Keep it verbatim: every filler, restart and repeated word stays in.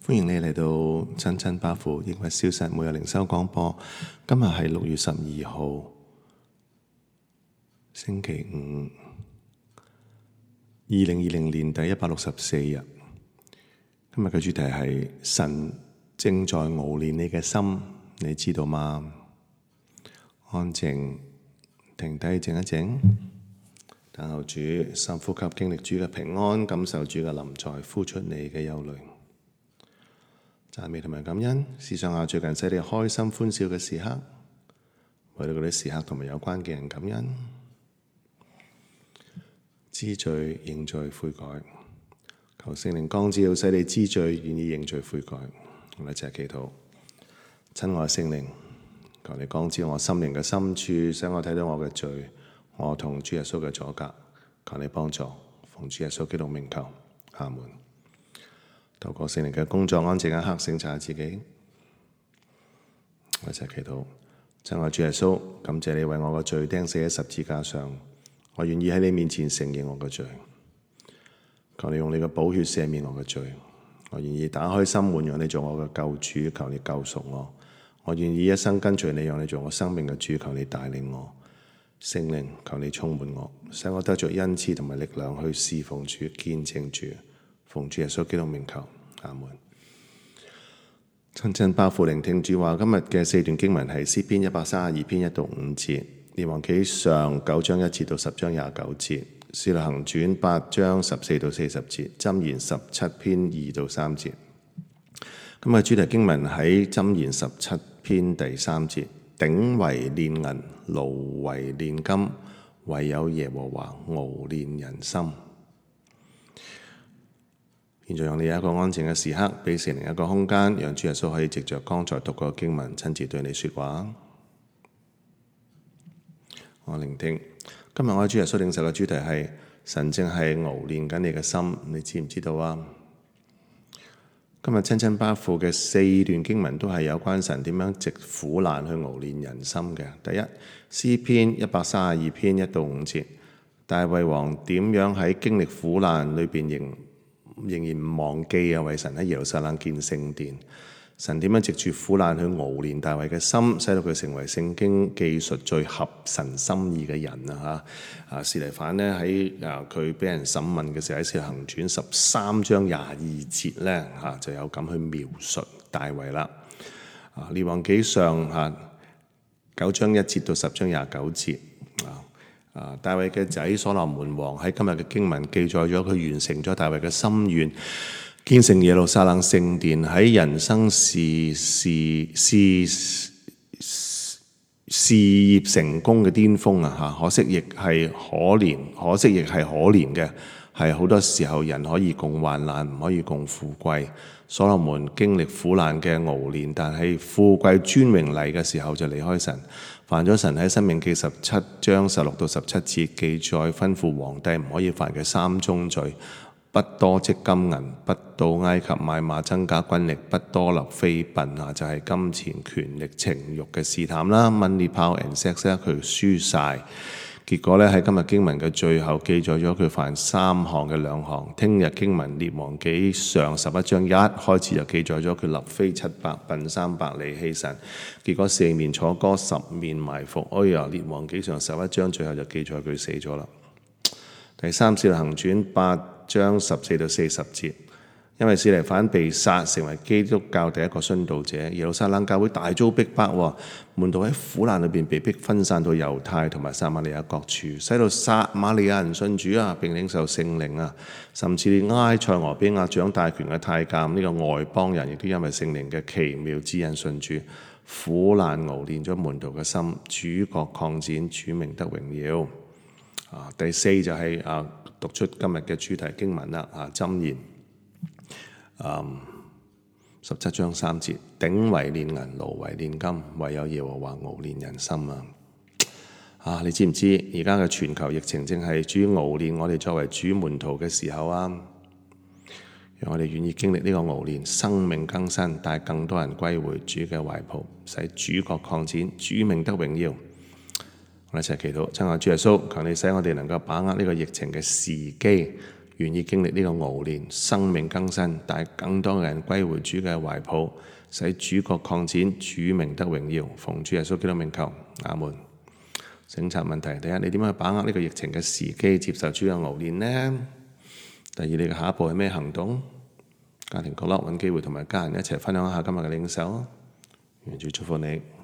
歡迎你嚟到親親巴父抑鬱消失每日靈修廣播。今日係六月十二號，星期五，二零二零年第一百六十四日。今日嘅主題係神正在熬煉你嘅心，你知道嗎？安靜，停低，靜一靜，等候主，深呼吸，經歷主嘅平安，感受主嘅臨在，呼出你嘅憂慮。讚美同埋感恩，試想下最近使你開心歡笑嘅時刻，為到嗰啲時刻同埋有關嘅人感恩，知罪認罪悔改，求聖靈光照，使你知罪願意認罪悔改。我哋一齊祈禱，親愛聖靈，求你光照我心靈嘅深處，使我睇到我嘅罪，我同主耶穌嘅阻隔，求你幫助，奉主耶穌基督名求，阿門。透過聖靈嘅工作，安靜一刻，省察自己。我一齊祈禱，親愛主耶穌，感謝你為我嘅罪釘死喺十字架上，我願意喺你面前承認我嘅罪。求你用你嘅寶血赦免我嘅罪，我願意打開心門，讓你做我嘅救主。求你救贖我，我願意一生跟隨你，讓你做我生命嘅主。求你帶領我，聖靈，求你充滿我，使我得着恩賜同埋力量去侍奉主、見證主。奉主耶穌基督名求，阿門。親親巴父聆聽主話，今日嘅四段經文係詩篇一百三十二篇一到五節，列王紀上九章一節到十章廿九節，使徒行傳八章十四到四十節，箴言十七篇二到三節。今日主題經文喺箴言十七篇第三節，鼎為煉銀，爐為煉金，唯有耶和華熬煉人心。現在讓你有一個安靜嘅時刻，俾聖靈一個空間，讓主耶穌可以藉着剛才讀過嘅經文親自對你說話。我聆聽。今日我喺主耶穌領受嘅主題係神正係熬煉緊你嘅心，你知唔知道啊？今日親親巴父嘅四段經文都係有關神點樣藉苦難去熬煉人心嘅。第一，詩篇一百三十二篇一到五節，大衛王點樣喺經歷苦難裏邊仍仍然唔忘記啊，為神喺耶路撒冷建聖殿。神點樣藉住苦難去熬煉大衛嘅心，使到佢成為聖經記述最合神心意嘅人啊！嚇啊，司提反咧喺啊佢俾人審問嘅時候，喺《使徒行傳》十三章廿二節咧嚇就有咁去描述大衛啦。啊，列王紀上嚇九章一節到十章廿九節啊。啊！大衛嘅仔所羅門王喺今日嘅經文記載咗佢完成咗大衛嘅心願，建成耶路撒冷聖殿，喺人生事事事事業成功嘅巔峰啊！嚇，可惜亦係可憐，可惜亦係可憐嘅，係好多時候人可以共患難，唔可以共富貴。所羅門經歷苦難嘅熬煉，但係富貴尊榮嚟嘅時候就離開神。犯咗神喺申命記十七章十六到十七節記載，吩咐皇帝唔可以犯嘅三宗罪：不多積金銀，不到埃及買馬增加軍力，不多立妃嬪啊，就係、是、金錢、權力、情慾嘅試探啦。Money, power and sex 咧，佢輸晒。結果咧喺今日經文嘅最後記載咗佢犯三項嘅兩項。聽日經文列王紀上十一章一開始就記載咗佢立妃七百，嬪三百，離棄神。結果四面楚歌，十面埋伏。哎呀，列王紀上十一章最後就記載佢死咗啦。第三，使徒行傳八章十四到四十節。因為司提反被殺，成為基督教第一個殉道者，耶路撒冷教會大遭逼迫，門徒喺苦難裏邊被逼分散到猶太同埋撒瑪利亞各處，使到撒瑪利亞人信主啊，並領受聖靈啊，甚至連埃塞俄比亞掌大權嘅太監呢、這個外邦人，亦都因為聖靈嘅奇妙指引信主。苦難熬煉咗門徒嘅心，主國擴展，主名得榮耀。啊，第四就係、是、啊讀出今日嘅主題經文啦，啊箴言。Um, 十七章三節，鼎為煉銀，爐為煉金，唯有耶和華熬煉人心啊！啊，你知唔知而家嘅全球疫情正係主熬煉我哋作為主門徒嘅時候啊？讓我哋願意經歷呢個熬煉，生命更新，帶更多人歸回主嘅懷抱，使主國擴展，主名得榮耀。我哋一齊祈禱，親愛主耶穌，求你使我哋能夠把握呢個疫情嘅時機。願意經歷呢個熬煉，生命更新，帶更多嘅人歸回主嘅懷抱，使主國擴展，主名得榮耀。奉主耶穌基督名求，阿門。省察問題：第一，你點樣去把握呢個疫情嘅時機，接受主嘅熬煉呢？第二，你嘅下一步係咩行動？家庭角落揾機會同埋家人一齊分享一下今日嘅領受。願主祝福你。